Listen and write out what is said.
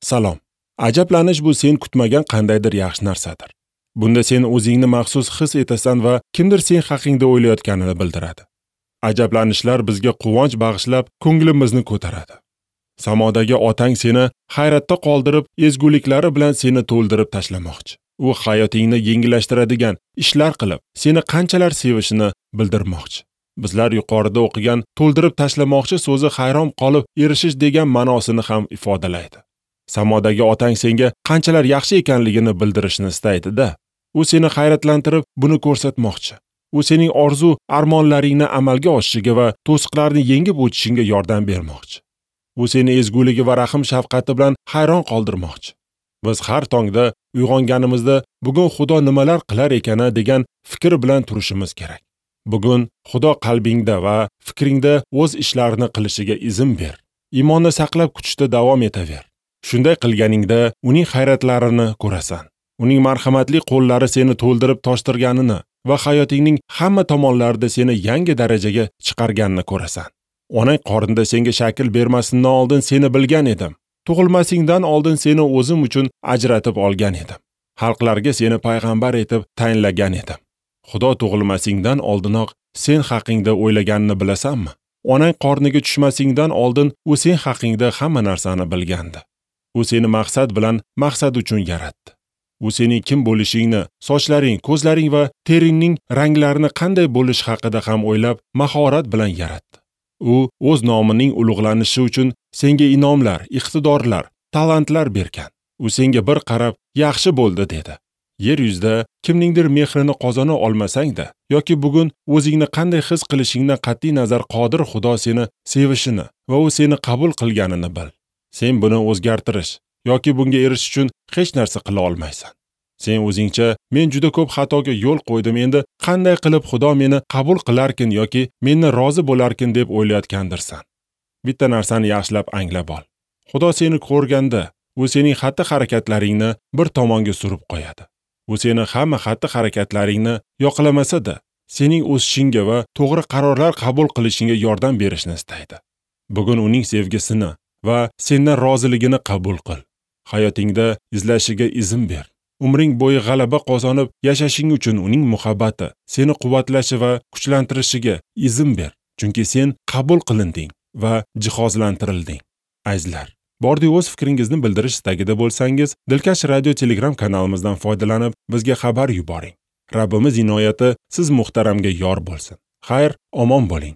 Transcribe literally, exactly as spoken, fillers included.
Salom. Ajablanish bu sen kutmagan qandaydir yaxshi narsadir. Bunda sen o'zingni maxsus his etasan va kimdir sen haqingda o'ylayotganini bildiradi. Ajablanishlar bizga quvonch bag'ishlab, ko'nglimizni ko'taradi. Samodagi otang seni hayratda qoldirib, ezguliklari bilan seni to'ldirib tashlamoqchi. U hayotingni yengillashtiradigan ishlar qilib, seni qanchalar sevishini bildirmoqchi. Bizlar yuqorida o'qigan to'ldirib tashlamoqchi so'zi hayron qolib erishish degan ma'nosini ham ifodalaydi. Samodagi otang senga qanchalar yaxshi ekanligini bildirishni istaydi-da. U seni hayratlantirib, buni ko'rsatmoqchi. U sening orzu armonlaringni amalga oshishiga va to'siqlarni yengib o'tishingga yordam bermoqchi. U seni ezguligi va rahim shafqati bilan hayron qoldirmoqchi. Biz har tongda uyg'onganimizda bugun Xudo nimalar qilar ekana degan fikr bilan turishimiz kerak. Bugun Xudo qalbingda va fikringda o'z ishlarini qilishiga izn ber. Iymonni saqlab kutishda davom etaver. Shunday qilganingda uning hayratlarini ko'rasan. Uning marhamatli qo'llari seni to'ldirib toshtirganini va hayotingning hamma tomonlarida seni yangi darajaga chiqarganini ko'rasan. Onang qornida senga shakl bermasindan oldin seni bilgan edim. Tug'ilmasingdan oldin seni o'zim uchun ajratib olgan edim. Xalqlarga seni payg'ambar etib tayinlagan edim. Xudo tug'ilmasingdan oldinoq sen haqingda o'ylaganini bilasanmi? Onang qorniga tushmasingdan oldin u sen haqingda hamma narsani bilgandi. U seni maqsad bilan maqsad uchun yaratdi. U sening kim bo'lishingni, sochlaring, ko'zlaring va teringning ranglarini qanday bo'lishi haqida ham o'ylab, mahorat bilan yaratdi. U o'z nomining ulug'lanishi uchun senga inomlar, iqtidorlar, talantlar bergan. U senga bir qarab, yaxshi bo'ldi dedi. Yer yuzida kimningdir mehrini qozona olmasang-da, yoki bugun o'zingni qanday his qilishingdan qat'iy nazar qodir Xudo seni sevishini va u seni qabul qilganini bil. Sen buni o'zgartirish yoki bunga erishish uchun hech narsa qila olmaysan. Sen o'zingcha men juda ko'p xatoga yo'l qo'ydim, endi qanday qilib Xudo meni qabul qilarkin yoki mendan rozi bo'larkin deb o'ylayotgandirsan. Bitta narsani yaxshilab anglab ol. Xudo seni ko'rganda, u sening xatti-harakatlaringni bir tomonga surib qo'yadi. U seni hamma xatti-harakatlaringni yoqlamasa-da, sening o'sishingga va to'g'ri qarorlar qabul qilishingga yordam berishni istaydi. Bugun uning sevgisini va sendan roziligini qabul qil. Hayotingda izlashiga izn ber. Umring bo'yi g'alaba qozonib yashashing uchun uning muhabbati seni quvvatlashi va kuchlantirishiga izn ber. Chunki sen qabul qilinding va jihozlantirilding. Azizlar, bordi o'z fikringizni bildirish istagida bo'lsangiz, Dilkash radio Telegram kanalimizdan foydalanib bizga xabar yuboring. Rabbimiz inoyati siz muhtaramga yor bo'lsin. Xayr, omon bo'ling.